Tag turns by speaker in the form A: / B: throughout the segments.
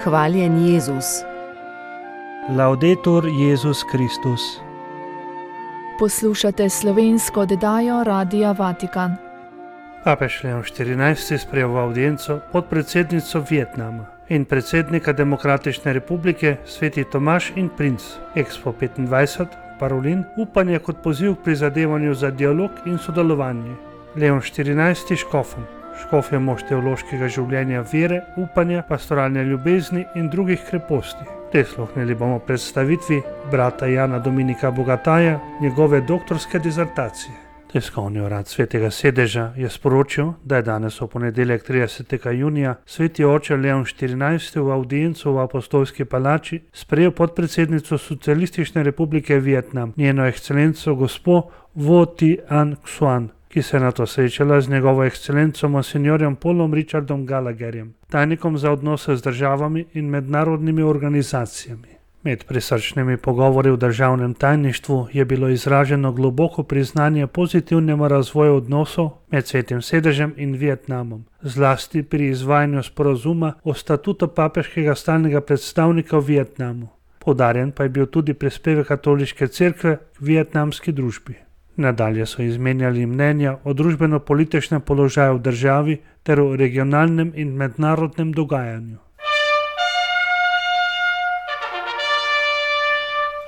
A: Hvaljen Jezus.
B: Laudetur Jezus Kristus.
C: Poslušate slovensko oddajo Radia Vatikan.
B: Papež Leon XIV sprejel v avdienco podpredsednico Vietnama in predsednika Demokratične republike Sveti Tomaž in princ. Expo 25, Parolin, upanje kot poziv k prizadevanju za dialog in sodelovanje. Leon XIV škofom. Škof je mož teološkega življenja vere, upanja, pastoralne ljubezni in drugih kreposti. Prisluhnili bomo predstavitvi brata Jana Dominika Bogataja, njegove doktorske dizertacije. Tiskovni urad Svetega sedeža je sporočil, da je danes v ponedeljek 30. junija sveti oče Leon XIV v avdiencu v Apostolski palači sprejel podpredsednico Socialistične republike Vietnam, njeno ekscelenco gospo Vo Thi Anh Xuan, ki se je nato srečala z njegovo ekscelenco monsinjorjem Paulom Richardom Gallagherjem, tajnikom za odnose z državami in mednarodnimi organizacijami. Med prisrčnimi pogovori v državnem tajništvu je bilo izraženo globoko priznanje pozitivnemu razvoju odnosov med Svetim sedežem in Vietnamom, zlasti pri izvajanju sporazuma o statutu papeškega stalnega predstavnika v Vietnamu. Poudarjen pa je bil tudi prispevek katoliške cerkve k vietnamski družbi. Nadalje so izmenjali mnenja o družbeno-političnem položaju v državi ter o regionalnem in mednarodnem dogajanju.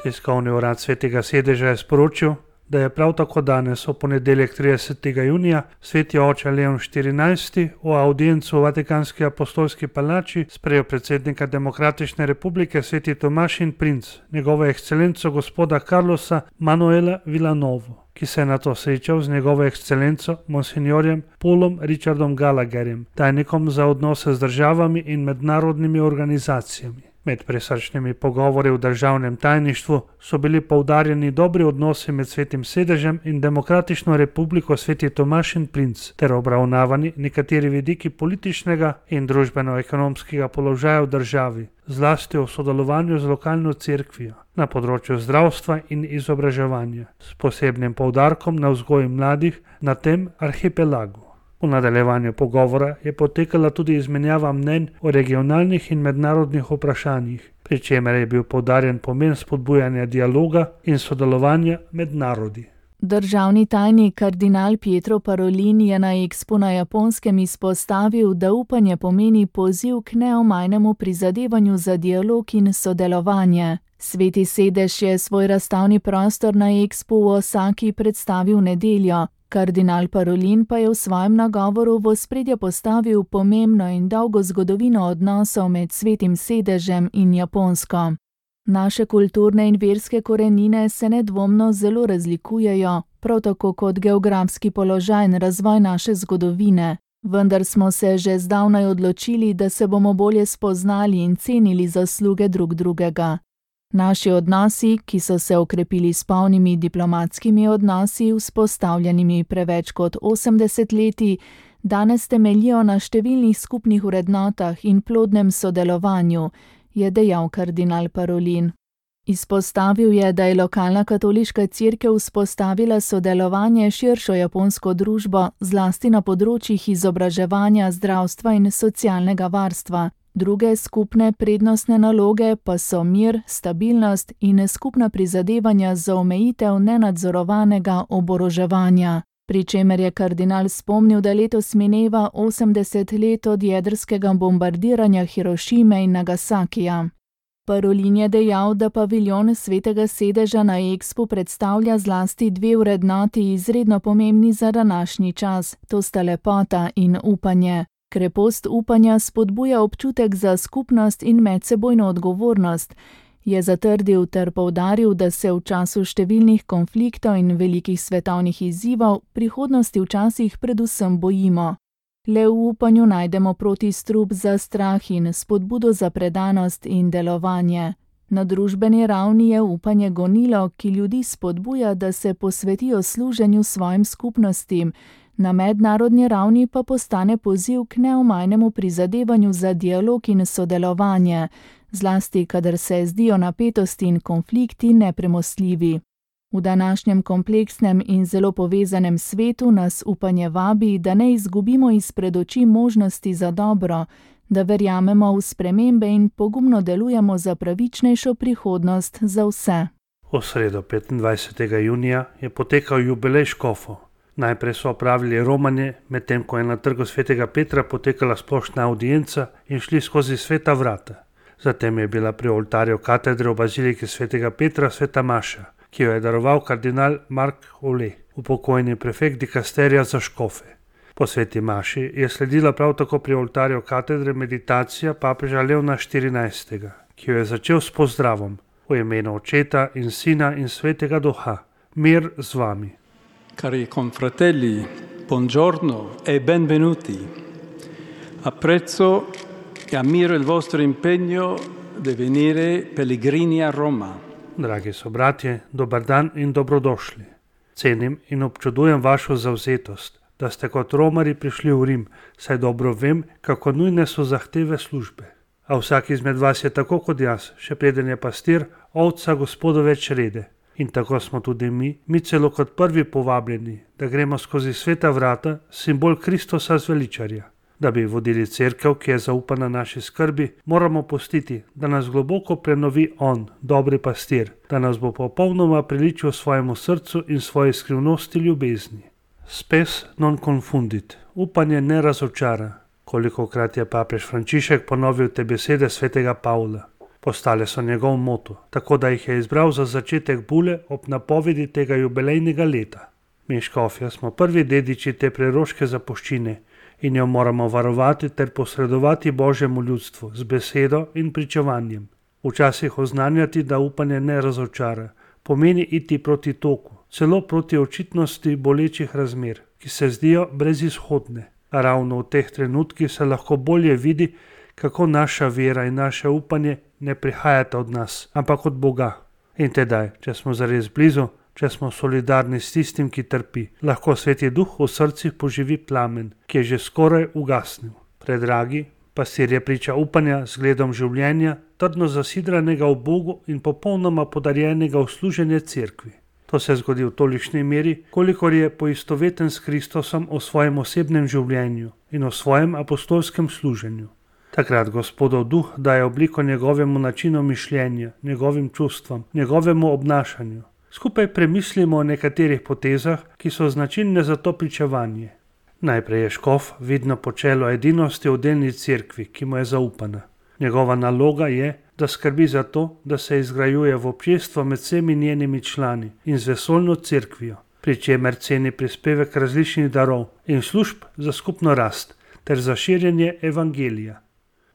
B: Tiskovni urad Svetega sedeža je sporočil, da je prav tako danes v ponedeljek 30. junija sveti oče Leon XIV v avdiencu v Vatikanski apostolski palači sprejel predsednika Demokratične republike Sveti Tomaž in princ, njegovo ekscelenco gospoda Carlosa Manuela Villanovo, ki se je nato srečal z njegovo ekscelenco monsinjorjem Paulom Richardom Gallagherjem, tajnikom za odnose z državami in mednarodnimi organizacijami. Med prisrčnimi pogovori v državnem tajništvu so bili poudarjeni dobri odnosi med Svetim sedežem in Demokratično republiko Sveti Tomaž in princ ter obravnavani nekateri vidiki političnega in družbeno-ekonomskega položaja v državi, zlasti v sodelovanju z lokalno cerkvijo na področju zdravstva in izobraževanja, s posebnim poudarkom na vzgoji mladih na tem arhipelagu. V nadaljevanju pogovora je potekala tudi izmenjava mnenj o regionalnih in mednarodnih vprašanjih, pri čemer je bil poudarjen pomen spodbujanja dialoga in sodelovanja med narodi.
C: Državni tajnik kardinal Pietro Parolin je na Expo na Japonskem izpostavil, da upanje pomeni poziv k neomajnemu prizadevanju za dialog in sodelovanje. Sveti sedež je svoj razstavni prostor na Expu v Osaki predstavil nedeljo. Kardinal Parolin pa je v svojem nagovoru v ospredje postavil pomembno in dolgo zgodovino odnosov med Svetim sedežem in Japonsko. Naše kulturne in verske korenine se nedvomno zelo razlikujejo, prav tako kot geografski položaj in razvoj naše zgodovine. Vendar smo se že zdavnaj odločili, da se bomo bolje spoznali in cenili zasluge drug drugega. Naši odnosi, ki so se okrepili s polnimi diplomatskimi odnosi, vzpostavljenimi preveč kot 80 leti, danes temeljijo na številnih skupnih vrednotah in plodnem sodelovanju, je dejal kardinal Parolin. Izpostavil je, da je lokalna katoliška cerkev vzpostavila sodelovanje s širšo japonsko družbo, zlasti na področjih izobraževanja, zdravstva in socialnega varstva. Druge skupne prednostne naloge pa so mir, stabilnost in skupna prizadevanja za omejitev nenadzorovanega oboroževanja. Pri čemer je kardinal spomnil, da letos mineva 80 let od jedrskega bombardiranja Hirošime in Nagasakija. Parolin je dejal, da paviljon Svetega sedeža na Expu predstavlja zlasti dve vrednoti izredno pomembni za današnji čas, to sta lepota in upanje. Krepost upanja spodbuja občutek za skupnost in medsebojno odgovornost, je zatrdil ter poudaril, da se v času številnih konfliktov in velikih svetovnih izzivov prihodnosti včasih predvsem bojimo. Le v upanju najdemo protistrup za strah in spodbudo za predanost in delovanje. Na družbeni ravni je upanje gonilo, ki ljudi spodbuja, da se posvetijo služenju svojim skupnostim, na mednarodni ravni pa postane poziv k neomajnemu prizadevanju za dialog in sodelovanje, zlasti kadar se zdijo napetosti in konflikti nepremostljivi. V današnjem kompleksnem in zelo povezanem svetu nas upanje vabi, da ne izgubimo izpred oči možnosti za dobro, da verjamemo v spremembe in pogumno delujemo za pravičnejšo prihodnost za vse.
B: V sredo 25. junija je potekal jubilej škofov. Najprej so opravili romanje, medtem ko je na trgu svetega Petra potekala splošna audienca in šli skozi sveta vrata. Zatem je bila pri oltarju katedre v baziliki svetega Petra sveta maša, ki jo je daroval kardinal Mark Ole, upokojeni prefekt dikasterija za škofe. Po sveti maši je sledila prav tako pri oltarju katedre meditacija papeža Leona XIV, ki jo je začel s pozdravom: v imenu Očeta in Sina in Svetega Duha, mir z vami.
A: Cari confratelli, buongiorno e benvenuti. Apprezzo e ammiro il vostro impegno di venire pellegrini a Roma.
B: Dragi sobratje, dober dan in dobrodošli. Cenim in občudujem vašo zavzetost, da ste kot Romari prišli v Rim, saj dobro vem, kako nujne so zahteve službe. A vsak izmed vas je tako kot jaz, še preden je pastir, ovca Gospodove črede. In tako smo tudi mi celo kot prvi povabljeni, da gremo skozi sveta vrata, simbol Kristusa zveličarja. Da bi vodili cerkev, ki je zaupana naši skrbi, moramo pustiti, da nas globoko prenovi On, dobri pastir, da nas bo popolnoma priličil svojemu srcu in svoji skrivnosti ljubezni. Spes non confundit, upanje ne razočara. Kolikokrat je papež Frančišek ponovil te besede svetega Pavla. Postale so njegov moto, tako da jih je izbral za začetek bule ob napovedi tega jubilejnega leta. Mi škofja smo prvi dediči te preroške zapuščine in jo moramo varovati ter posredovati Božjemu ljudstvu z besedo in pričevanjem. Včasih oznanjati, da upanje ne razočara, pomeni iti proti toku, celo proti očitnosti bolečih razmer, ki se zdijo brezizhodne. A ravno v teh trenutkih se lahko bolje vidi, kako naša vera in naše upanje ne prihajata od nas, ampak od Boga. In tedaj, če smo zares blizu, če smo solidarni s tistim, ki trpi, lahko Sveti Duh v srcih poživi plamen, ki je že skoraj ugasnil. Predragi, pastir je priča upanja z gledom življenja, trdno zasidranega v Bogu in popolnoma podarjenega v služenje cerkvi. To se zgodi v tolikšni meri, kolikor je poistoveten s Kristusom v svojem osebnem življenju in v svojem apostolskem služenju. Takrat Gospodov duh daje obliko njegovemu načinu mišljenja, njegovim čustvom, njegovemu obnašanju. Skupaj premislimo o nekaterih potezah, ki so značilne za to pričevanje. Najprej je škof vidno počelo edinosti v delni cerkvi, ki mu je zaupana. Njegova naloga je, da skrbi za to, da se izgrajuje v občestvo med vsemi njenimi člani in z vesoljno cerkvijo, pri čemer ceni prispevek različnih darov in služb za skupno rast ter za širjenje evangelija.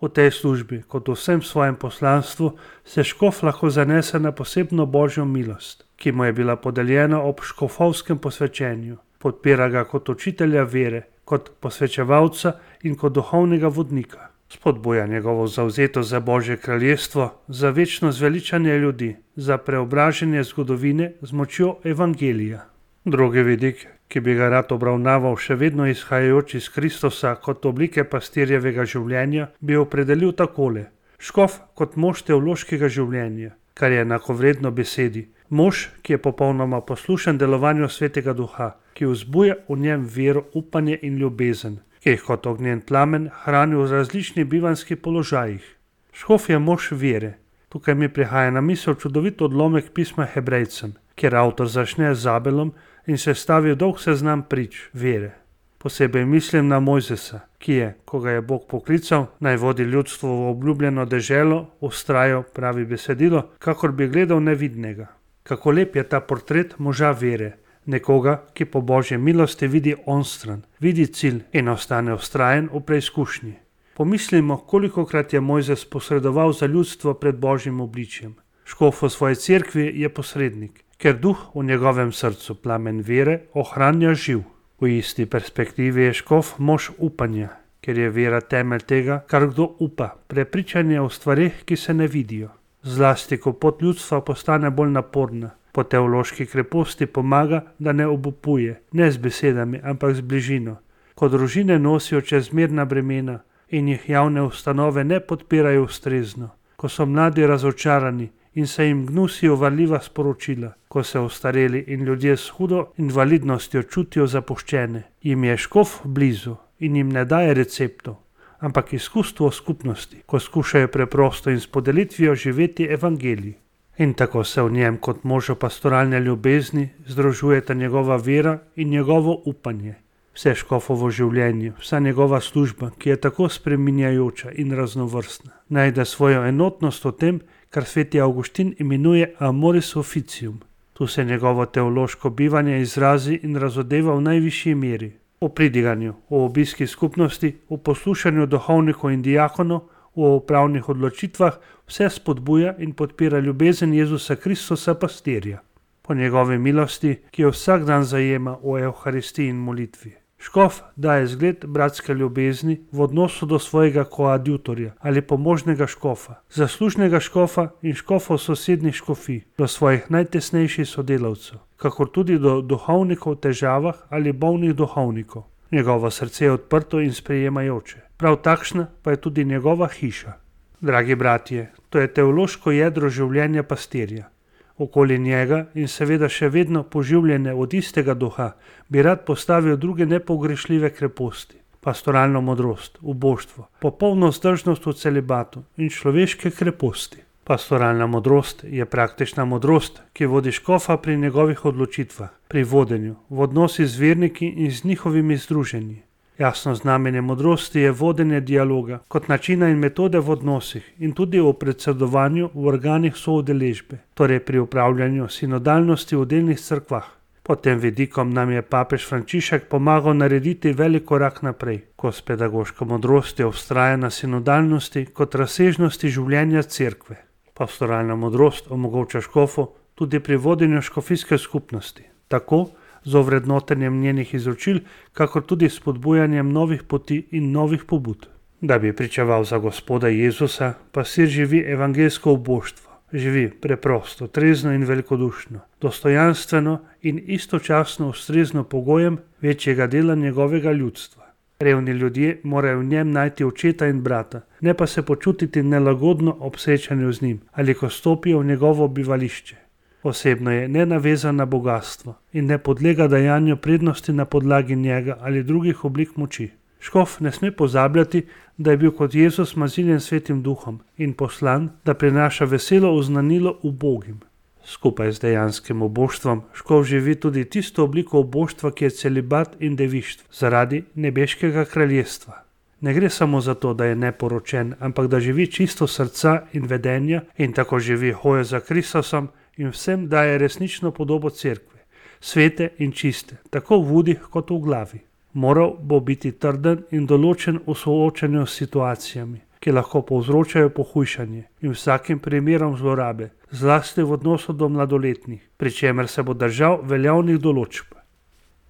B: V tej službi, kot v vsem svojem poslanstvu, se škof lahko zanese na posebno Božjo milost, ki mu je bila podeljena ob škofovskem posvečenju. Podpira ga kot učitelja vere, kot posvečevalca in kot duhovnega vodnika. Spodbuja njegovo zavzetost za Božje kraljestvo, za večno zveličanje ljudi, za preobraženje zgodovine z močjo evangelija. Drugi vidik, ki bi ga rad obravnaval še vedno izhajajoč iz Kristusa kot oblike pastirjevega življenja, bi opredelil takole: škof kot mož teološkega življenja, kar je enakovredno besedi. Mož, ki je popolnoma poslušen delovanju Svetega Duha, ki vzbuja v njem vero, upanje in ljubezen, ki jih kot ognjen plamen hrani v različnih bivanjskih položajih. Škof je mož vere. Tukaj mi prihaja na misel čudovit odlomek pisma Hebrejcem, kjer avtor začne z Abelom in sestavi dolg seznam prič vere. Posebej mislim na Mojzesa, ki je, ko ga je Bog poklical, naj vodi ljudstvo v obljubljeno deželo, vztrajal, pravi besedilo, kakor bi gledal nevidnega. Kako lep je ta portret moža vere, nekoga, ki po Božji milosti vidi onstran, vidi cilj in ostane vztrajen v preizkušnji. Pomislimo, kolikokrat je Mojzes posredoval za ljudstvo pred Božjim obličjem. Škof v svoji cerkvi je posrednik, ker duh v njegovem srcu, plamen vere, ohranja živ. V isti perspektivi je škof mož upanja, ker je vera temelj tega, kar kdo upa, prepričanje o stvareh, ki se ne vidijo. Zlasti, ko pot ljudstva postane bolj naporna, po teološki kreposti pomaga, da ne obupuje, ne z besedami, ampak z bližino. Ko družine nosijo čezmerna bremena in jih javne ustanove ne podpirajo ustrezno, ko so mladi razočarani in se jim gnusijo varljiva sporočila, ko se ostareli in ljudje s hudo invalidnostjo čutijo zapuščene, jim je škof blizu in jim ne daje receptov. ampak izkustvo skupnosti, ko skušajo preprosto in s podelitvijo živeti evangelij. In tako se v njem kot možo pastoralne ljubezni združujeta njegova vera in njegovo upanje. Vse škofovo življenje, vsa njegova služba, ki je tako spreminjajoča in raznovrstna, najde svojo enotnost v tem, kar sveti Avguštin imenuje amoris officium. Tu se njegovo teološko bivanje izrazi in razodeva v najvišji meri. V pridiganju, v obiski skupnosti, v poslušanju duhovnikov in diakonov, v upravnih odločitvah vse spodbuja in podpira ljubezen Jezusa Kristusa pastirja. Po njegovi milosti, ki jo vsak dan zajema v Evharistiji in molitvi. Škof daje zgled bratske ljubezni v odnosu do svojega koadjutorja ali pomožnega škofa, zaslužnega škofa in škofov sosednjih škofij, do svojih najtesnejših sodelavcev, kakor tudi do duhovnikov v težavah ali bolnih duhovnikov. Njegovo srce je odprto in sprejemajoče. Prav takšna pa je tudi njegova hiša. Dragi bratje, to je teološko jedro življenja pastirja. Okoli njega in seveda še vedno poživljene od istega duha bi rad postavil druge nepogrešljive kreposti. Pastoralno modrost, uboštvo, popolno vzdržnost v celibatu in človeške kreposti. Pastoralna modrost je praktična modrost, ki vodi škofa pri njegovih odločitvah, pri vodenju, v odnosi z verniki in z njihovimi združenji. Jasno znamenje modrosti je vodenje dialoga kot načina in metode v odnosih in tudi v predsedovanju v organih soudeležbe, torej pri upravljanju sinodalnosti v delnih cerkvah. Pod tem vidikom nam je papež Frančišek pomagal narediti velik korak naprej, ko s pedagoško modrostjo vztraja na sinodalnosti kot razsežnosti življenja cerkve. Pastoralna modrost omogoča škofu tudi pri vodenju škofijske skupnosti, tako z ovrednotenjem njenih izročil, kakor tudi s spodbujanjem novih poti in novih pobud. Da bi pričeval za Gospoda Jezusa, pastir živi evangeljsko uboštvo, živi preprosto, trezno in velikodušno, dostojanstveno in istočasno ustrezno pogojem večjega dela njegovega ljudstva. Revni ljudje morajo v njem najti očeta in brata, ne pa se počutiti nelagodno ob srečanju z njim ali ko stopijo v njegovo bivališče. Osebno je nenavezan na bogatstvo in ne podlega dajanju prednosti na podlagi njega ali drugih oblik moči. Škof ne sme pozabljati, da je bil kot Jezus maziljen svetim duhom in poslan, da prinaša veselo oznanilo ubogim. Skupaj z dejanskim oboštvom škof živi tudi tisto obliko oboštva, ki je celibat in devištvo zaradi nebeškega kraljestva. Ne gre samo za to, da je neporočen, ampak da živi čisto srca in vedenja in tako živi hojo za Kristusom in vsem daje resnično podobo cerkve, svete in čiste, tako v udih kot v glavi. Moral bo biti trden in določen v soočanju s situacijami, ki lahko povzročajo pohujšanje in vsakim primerom zlorabe, zlasti v odnosu do mladoletnih, pri čemer se bo držal veljavnih določb.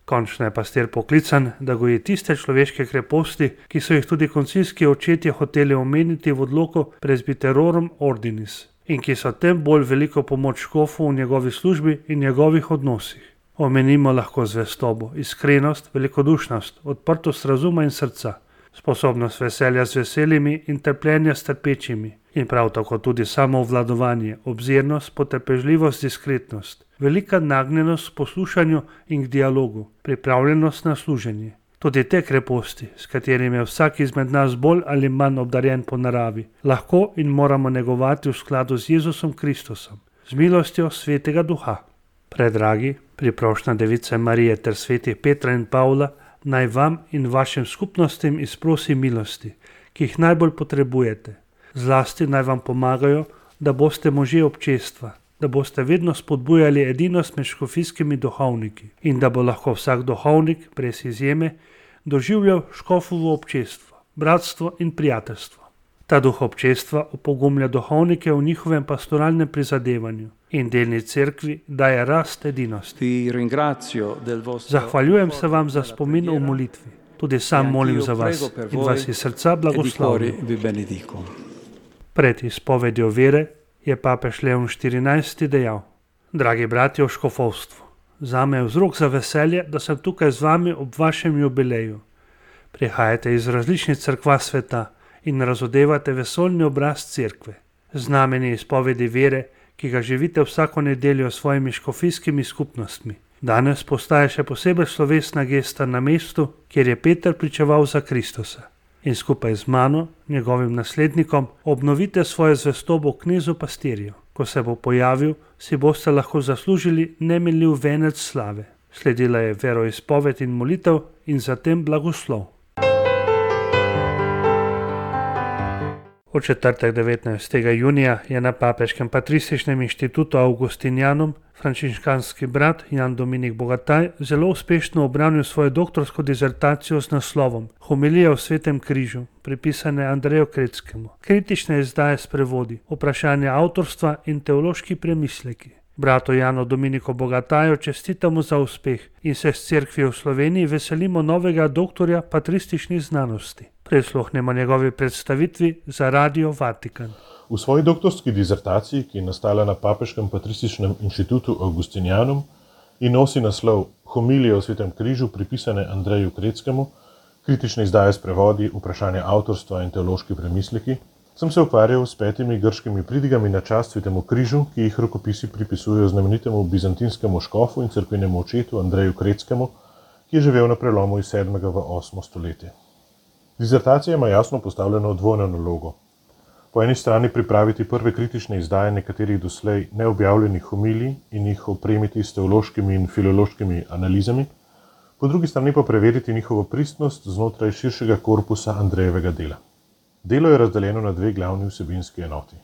B: Končno je pastir poklican, da goji tiste človeške kreposti, ki so jih tudi koncilski očetje hoteli omeniti v odloku Presbyterorum Ordinis in ki so tem bolj veliko pomoč škofu v njegovi službi in njegovih odnosih. Omenimo lahko zvestobo, iskrenost, velikodušnost, odprtost razuma in srca, sposobnost veselja z veselimi in trpljenja s trpečimi in prav tako tudi samoobvladovanje, obzirnost, potrpežljivost, diskretnost, velika nagnjenost k poslušanju in k dialogu, pripravljenost na služenje. Tudi te kreposti, s katerimi je vsak izmed nas bolj ali manj obdarjen po naravi, lahko in moramo negovati v skladu z Jezusom Kristusom, z milostjo Svetega Duha. Predragi, priprošnja Device Marije ter svetih Petra in Pavla, naj vam in vašim skupnostim izprosi milosti, ki jih najbolj potrebujete. Zlasti naj vam pomagajo, da boste možje občestva, da boste vedno spodbujali edinost med škofijskimi duhovniki in da bo lahko vsak duhovnik, brez izjeme, doživljal škofovo občestvo, bratstvo in prijateljstvo. Ta duh občestva opogumlja duhovnike v njihovem pastoralnem prizadevanju in delni cerkvi daje rast edinosti. Zahvaljujem se vam za spomin v molitvi. Tudi sam molim za vas in vas iz srca blagoslovim. Pred izpovedjo vere je papež Leon XIV. Dejal: Dragi bratje v škofovstvu, zame je vzrok za veselje, da sem tukaj z vami ob vašem jubileju. Prihajate iz različnih cerkva sveta in razodevate vesoljni obraz cerkve. Znamenje izpovedi vere, ki ga živite vsako nedeljo s svojimi škofijskimi skupnostmi. Danes postaje še posebej slovesna gesta na mestu, kjer je Peter pričeval za Kristusa. in skupaj z mano, njegovim naslednikom, obnovite svojo zvestobo knezu pastirju. Ko se bo pojavil, si boste lahko zaslužili neminljiv venec slave. Sledila je veroizpoved in molitev in zatem blagoslov. V četrtek 19. junija je na Papeškem patrističnem inštitutu Augustinianum frančiškanski brat Jan Dominik Bogataj zelo uspešno obranil svojo doktorsko disertacijo z naslovom Homilija o svetem križu, pripisane Andreju Kretskemu, kritične izdaje s prevodi, vprašanja avtorstva in teološki premisleki. Bratu Janu Dominiku Bogataju čestitamo za uspeh in se s cerkvijo v Sloveniji veselimo novega doktorja patrističnih znanosti. Prisluhnemo njegovi predstavitvi za Radio Vatikan.
D: V svoji doktorski disertaciji, ki je nastala na Papeškem patrističnem inštitutu Augustinianum in nosi naslov Homilija o svetem križu, pripisane Andreju Kretskemu, kritične izdaje s prevodi, vprašanja avtorstva in teološki premisleki, sem se ukvarjal s 5 grškimi pridigami na čast svetemu križu, ki jih rokopisi pripisujejo znamenitemu bizantinskemu škofu in cerkvenemu očetu Andreju Kretskemu, ki je živel na prelomu iz 7. v 8. stoletje. Disertacija ima jasno postavljeno dvojno nalogo. Po eni strani pripraviti prve kritične izdaje nekaterih doslej neobjavljenih homilij in jih opremiti s teološkimi in filološkimi analizami, po drugi strani pa preveriti njihovo pristnost znotraj širšega korpusa Andrejevega dela. Delo je razdeljeno na 2 glavni vsebinski enoti.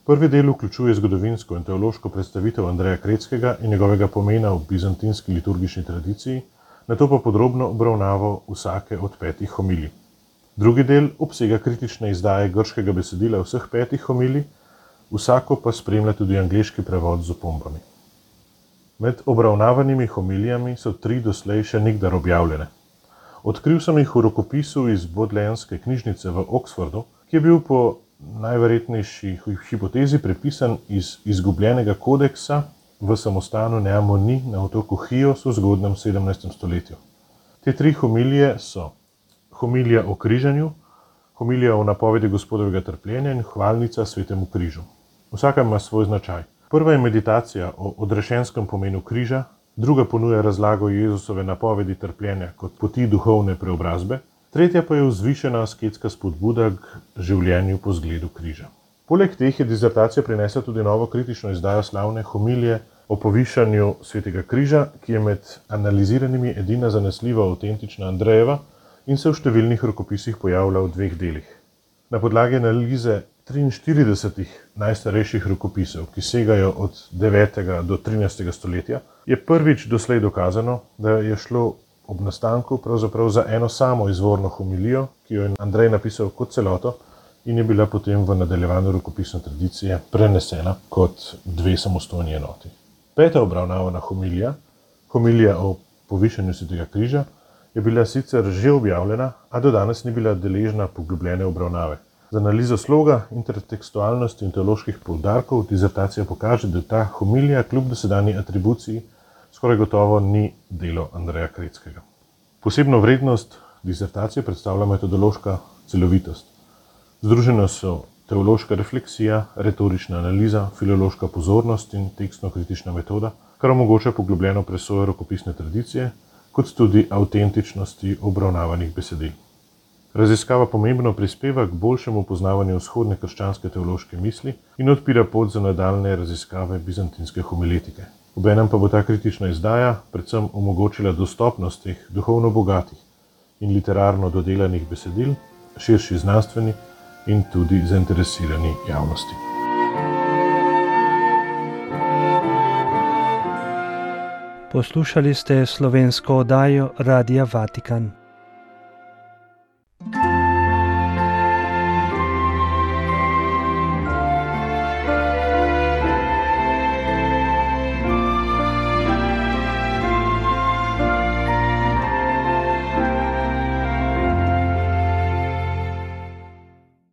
D: Prvi del vključuje zgodovinsko in teološko predstavitev Andreja Kretskega in njegovega pomena v bizantinski liturgični tradiciji, nato pa podrobno obravnavo vsake od 5 homilij. Drugi del obsega kritične izdaje grškega besedila vseh 5 homilij, vsako pa spremlja tudi angleški prevod z opombami. Med obravnavanimi homilijami so 3 doslej še nikdar objavljene. Odkril sem jih v rokopisu iz Bodleianske knjižnice v Oxfordu, ki je bil po najverjetnejši hipotezi prepisan iz izgubljenega kodeksa v samostanu Neamoni na otoku Chios v zgodnjem 17. stoletju. Te 3 homilije so homilija o križanju, homilija o napovedi Gospodovega trpljenja in hvalnica svetemu križu. Vsaka ima svoj značaj. Prva je meditacija o odrešenskem pomenu križa, druga ponuja razlago Jezusove napovedi trpljenja kot poti duhovne preobrazbe, tretja pa je vzvišena asketska spodbuda k življenju po zgledu križa. Poleg teh je disertacija prinesla tudi novo kritično izdajo slavne homilije o povišanju svetega križa, ki je med analiziranimi edina zanesljiva avtentična Andrejeva in se v številnih rokopisih pojavlja v 2 delih. Na podlagi analize 43 najstarejših rokopisov, ki segajo od 9. do 13. stoletja, je prvič doslej dokazano, da je šlo ob nastanku pravzaprav za eno samo izvorno homilijo, ki jo je Andrej napisal kot celoto in je bila potem v nadaljevanju rokopisne tradicije prenesena kot 2 samostojni enoti. 5. obravnavana homilija, homilija o povišanju svetega križa, je bila sicer že objavljena, a do danes ni bila deležna poglobljene obravnave. Z analizo sloga, intertekstualnosti in teoloških poudarkov disertacija pokaže, da ta homilija kljub dosedanji atribuciji skoraj gotovo ni delo Andreja Kretskega. Posebno vrednost disertacije predstavlja metodološka celovitost. Združeno so teološka refleksija, retorična analiza, filološka pozornost in tekstno-kritična metoda, kar omogoča poglobljeno presojo rokopisne tradicije, kot tudi avtentičnosti obravnavanih besedil. Raziskava pomembno prispeva k boljšemu poznavanju vzhodne krščanske teološke misli in odpira pot za nadaljnje raziskave bizantinske homiletike. Obenem pa bo ta kritična izdaja predvsem omogočila dostopnost teh duhovno bogatih in literarno dodelanih besedil širši znanstveni in tudi zainteresirani javnosti.
B: Poslušali ste slovensko oddajo Radia Vatikan.